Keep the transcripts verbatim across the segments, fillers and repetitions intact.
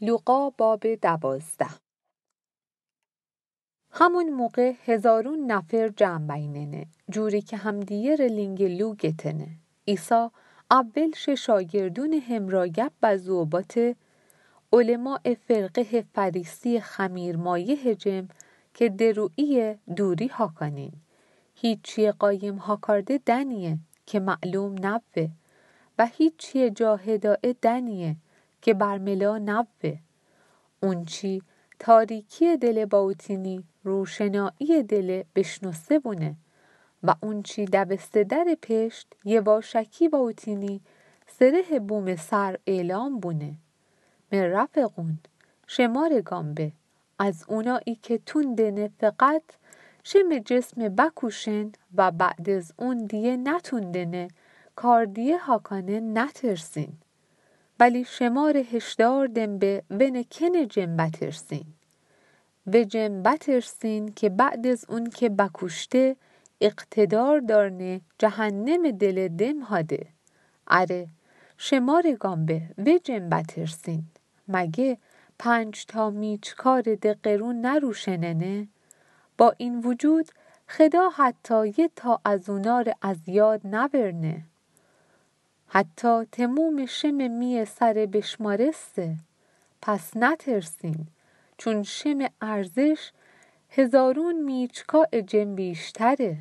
لوقا باب دوازده. همون موقع هزارون نفر جمع بیننه، جوری که همدیگه ره لینگ لو گتنه. عیسی اول شه شاگردون همرا گپ بزو و باته، علمای فرقه فریسی خمیر مایه جم که درویی دوری هاکانین. هیچی قایم هاکارده دنیه که معلوم نبوه و هیچی جا هدایه دنیه که برملا نبوه. اونچی تاریکی دل باوتینی روشنایی دل بشنوسه بونه و اونچی دوسته در پشت یواشکی باوتینی سره بوم سر اعلام بونه. مه رفقون، شمار گام به، از اونایی که توندنه فقط شم جسم بکوشن و بعد از اون دیه نتوندنه کار دیه هاکانه نترسین. ولی شمار هشدار دم به ونه کنه جم بترسین. و جم بترسین که بعد از اون که بکوشته اقتدار دارنه جهنم دل دم هاده. اره، شمار گام به و جم بترسین. مگه پنج تا میچکار دقرون نروشننه؟ با این وجود خدا حتی یه تا از اونا ره از یاد نبرنه. حتی تموم شم میه سر بشمارسته. پس نترسین، چون شم ارزش هزارون میچکا جم بیشتره.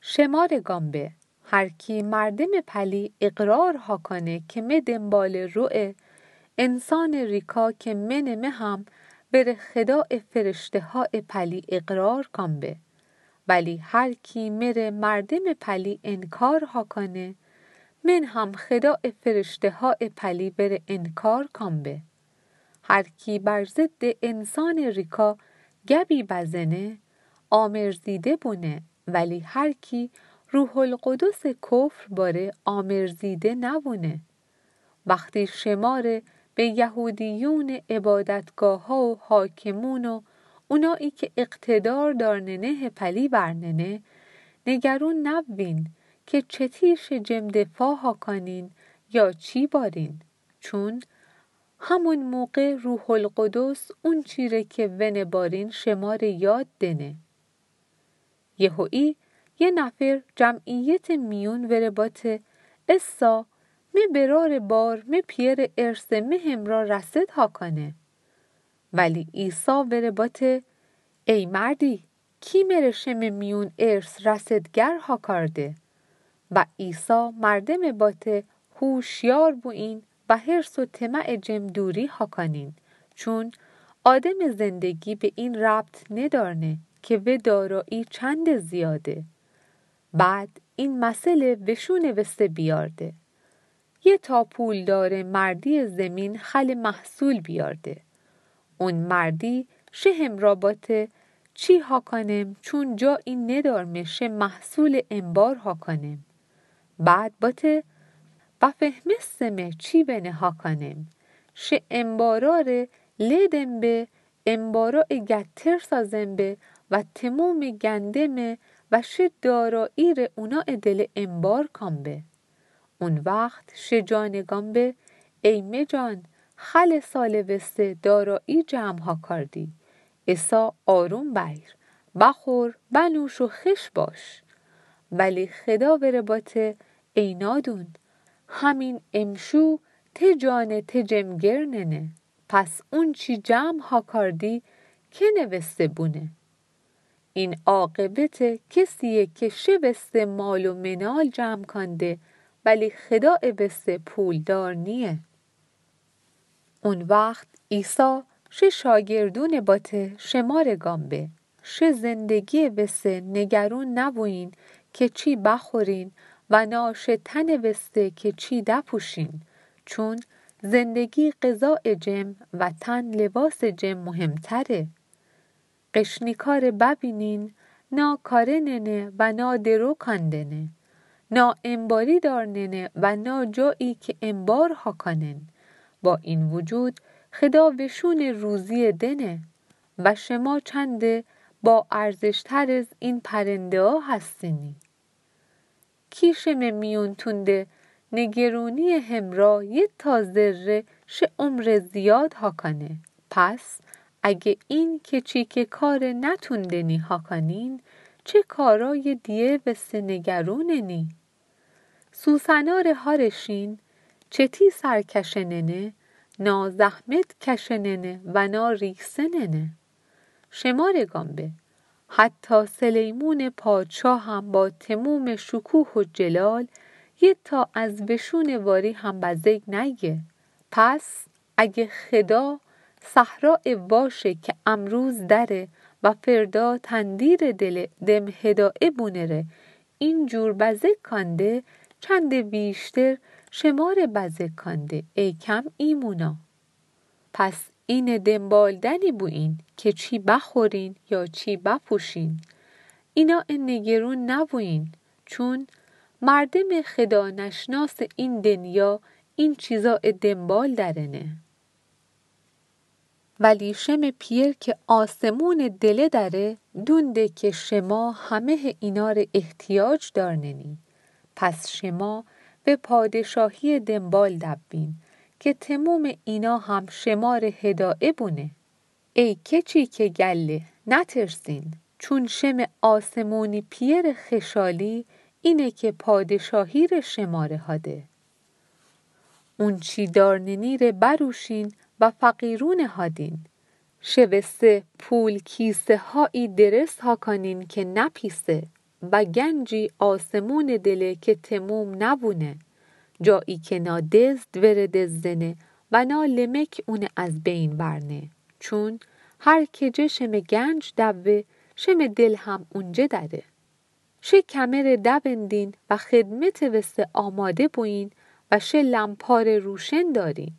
شمار گام به، هر کی مردم پلی اقرار هاکانه که مه دنبال روه، انسان ریکا که منه مه هم بر خدا فرشته ها پلی اقرار کام به. ولی هر کی مره مردم پلی انکار هاکانه، من هم خدا فرشته ها پلی بر انکار کام به. هر کی بر ضد انسان ریکا گبی بزنه، آمرزیده بونه، ولی هر کی روح القدس کفر باره آمرزیده نبونه. وقتی شماره به یهودیون عبادتگاه ها و حاکمون و اونایی که اقتدار دارننه پلی برننه، نگرون نبوین که چتیش جم دفاع هاکانین یا چی بارین، چون همون موقع روح القدس اون چیره که ونه بارین شماره یاد دنه. یهویی یه نفر جمعیت میون وره باته، اسا مه برار بار مه پیره ارث مه همرا رصد هاکانه. ولی عیسی وره باته، ای مردی، کی مره شم میون ارث رصدگر هاکارده؟ و عیسی مردم باته، هوشیار بوین و حرص و طمع جم دوری هاکانین، چون آدم زندگی به این ربط ندارنه که و دارایی چند زیاده. بعد این مثل وشون وسه بیارده. یه تا پولدار مردی زمین خل محصول بیارده. اون مردی شه همرا باته، چی هاکانم، چون جایی ندارمه شه محصول انبار هاکانم. بعد باته، و فهمستمه چی ونه هاکانم. شه انبارا ره له دم به، انبارا گتر سازم به و تموم گندمه و شه دارایی ره اونا دل انبار کام به. اون وقت شه جان گام به، ای مه جان، خل سال وسه دارایی جمع هاکاردی. اسا آروم بیر، بخور، بنوش و خوش باش. ولی خدا وره باته، ای نادون، همین امشو ته جان ته جم گرننه. پس اون چی جمع هاکاردی کنه وسه بونه. این عاقبت کسیه که شه وسه مال و منال جمع کانده، ولی خدا وسه پولدار نیه. اون وقت عیسی شه شاگردون باته، شمار گام به، شه زندگی وسه نگرون نبوین که چی بخورین و نا شه تن وسه که چی دپوشین، چون زندگی غذا جم و تن لباس جم مهمتره. قشنیکا ره ببینین، نا کارننه و نا درو کاندنه، نا انباری دارننه و نا جایی که انبار هاکانن. با این وجود خدا وشون روزی دنه و شما چند با ارزشتر از این پرنده ها هستینی. کی شمه میون تونده نگرونی همرا یه تا ذره شه عمر زیاد هاکانه. پس اگه این که چی که کار نتوندنی هاکانین، چه کارای دیه وسه نگروننی؟ سوسنار هارشین چتی سر کشننه، نا زحمت کشننه و نا ریکسننه. شمارگان به، حتی سلیمون پادشاه هم با تموم شکوه و جلال یه تا از وشون واری هم بزگ نیه. پس اگه خدا صحرا واشه که امروز دره و فردا تندیر دل دم هدایه بونره، این جور بزگ کانده، چند ویشتر شمار بزگ کانده، ای کم ایمونا. پس اینه دنبالدنی بوین که چی بخورین یا چی بپوشین. اینا نگرون نبوین، چون مردم خدا نشناس این دنیا این چیزا دنبال درنه. ولی شم پیر که آسمون دله دره، دونده که شما همه اینا ره احتیاج دارننی. پس شما و پادشاهی دنبال دبین که تموم اینا هم شما ره هدایه بونه. ای کچی که گله، نترسین، چون شم آسمونی پیر خشالی اینه که پادشاهی ره شما ره هاده. اون چی دارننی ره بروشین و فقیرون هادین. شوسته پول کیسه هایی درس هاکانین که نپیسه و گنجی آسمون دله که تموم نبونه، جایی که نا دزد وره دزدنه و نا لمک اونه از بین برنه. چون هر کجه شم گنج دوه، شم دل هم اونجه دره. شه کمر دوندین و خدمت وسه آماده بوین و شه لمپار روشن دارین.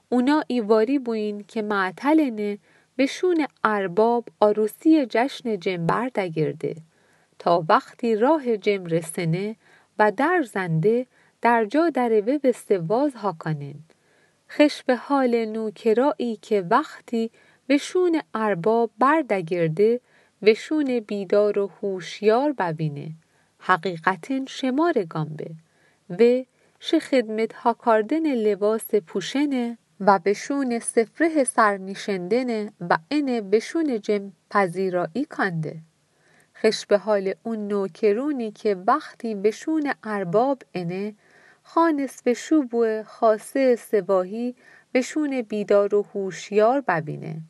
اونا ایواری بوین که معطلنه، وشون ارباب عروسی جشن جم بردگرده، تا وقتی راه جم رسنه و در زنده، در جا دره وسه واز هاکانن. خش به حال نوکرایی که وقتی وشون ارباب بردگرده، وشون بیدار و هوشیار بوینه. حقیقتاً شمارگان به. و شه خدمت هاکاردن لباس پوشنه و وشون سفره سر نیشندنه و انه وشون جم پذیرایی کانده. خش به حال اون نوکرونی که وقتی وشون ارباب انه، خانس وشو بوه خاصه سواهی وشون بیدار و هوشیار بوینه.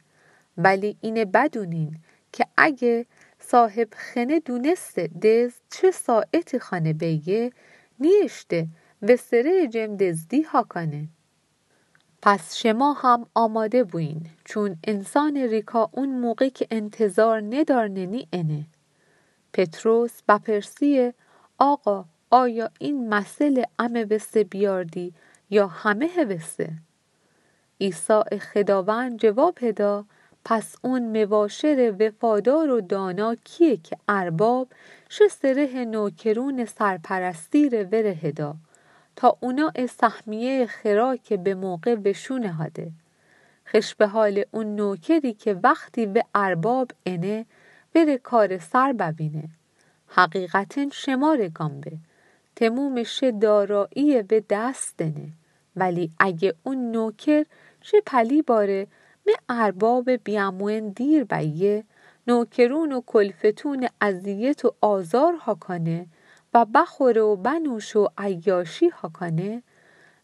ولی اینه بدونین که اگه صاحب خنه دونسته دزد چه ساعتی خانه بیه، نیشته وسره جم دزدی هاکانه. پس شما هم آماده بوین، چون انسان ریکا اون موقع که انتظار ندارننی انه. پطرس بپرسیه: آقا، آیا این مثل امه وسه بیاردی یا همه وسه؟ عیسی خداوند جواب هدا: پس اون مواشر وفادار و دانا کیه که ارباب شه سره نوکرون سرپرستی ره وره هدا، تا اونا سهمیه خرا که به موقع وشون هاده. خش به حال اون نوکری که وقتی و ارباب انه، وره کار سر بوینه. حقیقتاً شمارگان به، تموم شه دارایی و دست دنه. ولی اگه اون نوکر شه پلی باره، مه ارباب بیامون دیر بیه، نوکرون و کلفتون اذیت و آزار هاکانه و بخوره و بنوشه و عیاشی هاکانه،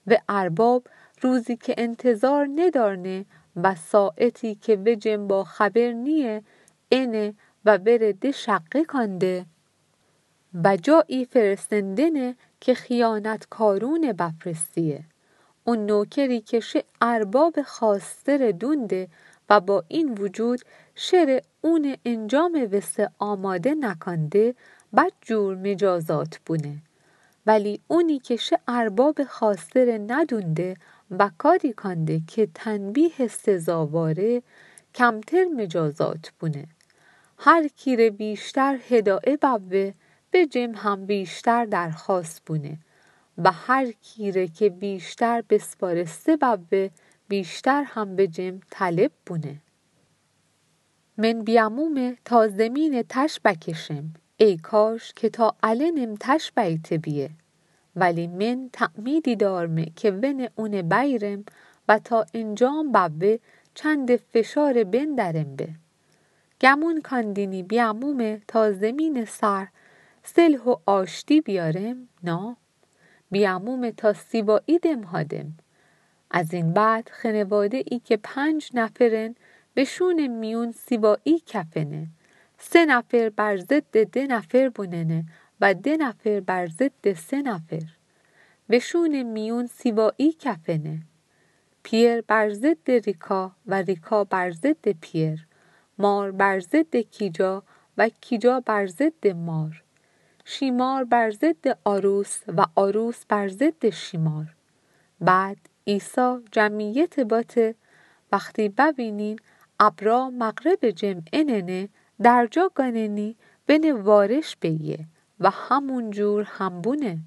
و ارباب روزی که انتظار ندارنه و ساعتی که و جم با خبر نیه، انه و وره ده شقه کانده و جایی فرستندنه که خیانتکارون بفرستیه. اون نوکری که شه ارباب خواسته ره دونده و با این وجود شره اون انجام وسه آماده نکانده، بدجور مجازات بونه. ولی اونی که شه ارباب خواسته ره ندونده و کاری کانده که تنبیه سزاواره، کمتر مجازات بونه. هر کی ره ویشتر هدایه بوه، به جم هم ویشتر درخواست بونه و هر کی ره که ویشتر بسپارسته بوه، ویشتر هم به جم طلب بونه. من بیامومه تا زمین تش بکشم، ای کاش که تا النم تش بیته بیه. Vali men tamidi dorme ke vene une bairem, va ta enjam bave chande feshare bendarembe. Gamun kandini biamume ta zemine sar selho ashti biarem? Na. Biamume ta sivai dem hadem. Azin bad xenevade i ke panc naferen veshune miun sivai kafene. Se nafer bar zede de nafer bunene, va de nafer bar zede se nafer. Veshune miun sivai kafene. Pier bar zede Rika, va Rika bar zede Pier. Mar bar zede Kica, va Kica bar zede Mar. Şimar bar zede Arus, va Arus bar zede Şimar. Bad İsa cemiyete bate, vexti bevinin abra mağrebe cem enene, derca ganeni vene vareş beye, va hamun cur hambune.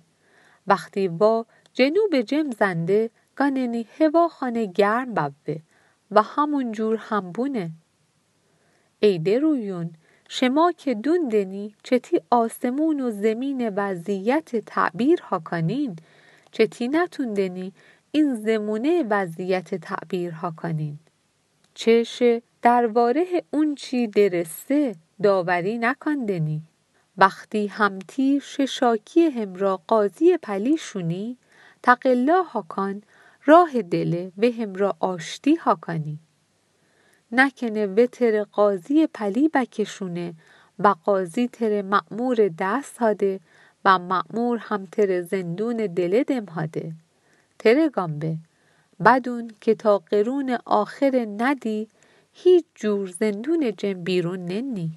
Vexti va cenube cem zende, ganeni heva hane germ beve, va hamun cur hambune. Ey deruyun, şema ke dundeni çeti asemun u zemine vaziyete tabir hakanin, çeti natundeni in zemune vaziyete tabir hakanin. Çe şe dervarehe unçi dereste daveri nakandeni. Vexti hamti şe şakiye hemra qaziye pali şuni, taqella hakan, rahe dele ve hemra aşti hakani. Nakene ve tere qaziye pali bekeşune, va qazi tere ma'mure dest hade, va ma'mur ham tere zendune dele dem hade. Tere gambe, bedun ke ta qerune axere nedi, hiç cur zendune cem birun neni.